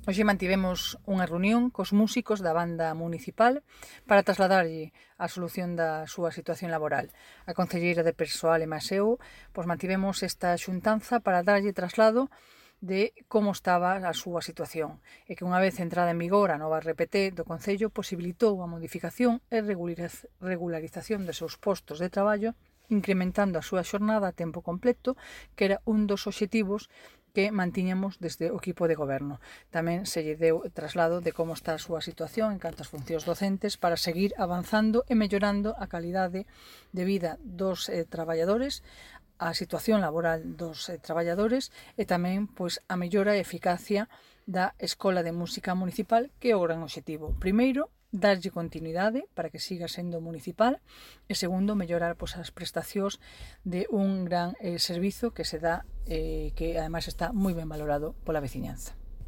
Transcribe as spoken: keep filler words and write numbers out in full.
Hoxe mantivemos unha reunión cos músicos da banda municipal para trasladarlle a solución da súa situación laboral. A concelleira de Persoal e máis eu pois, mantivemos esta xuntanza para darlle traslado de como estaba a súa situación e que unha vez entrada en vigor a nova R P T do Concello posibilitou a modificación e regularización dos seus postos de traballo, incrementando a súa xornada a tempo completo, que era un dos obxectivos que mantiñamos desde o equipo de goberno. Tamén se lle deu traslado de como está a súa situación en canto ás funcións docentes para seguir avanzando e mellorando a calidade de vida dos eh, traballadores, a situación laboral dos eh, traballadores e tamén pois, a mellora e eficacia da Escola de Música Municipal, que é o gran obxectivo. Primeiro, darlle continuidade para que siga sendo municipal e segundo, mellorar pois, as prestacións de un gran eh, servizo que se dá eh, que ademais está moi ben valorado pola veciñanza.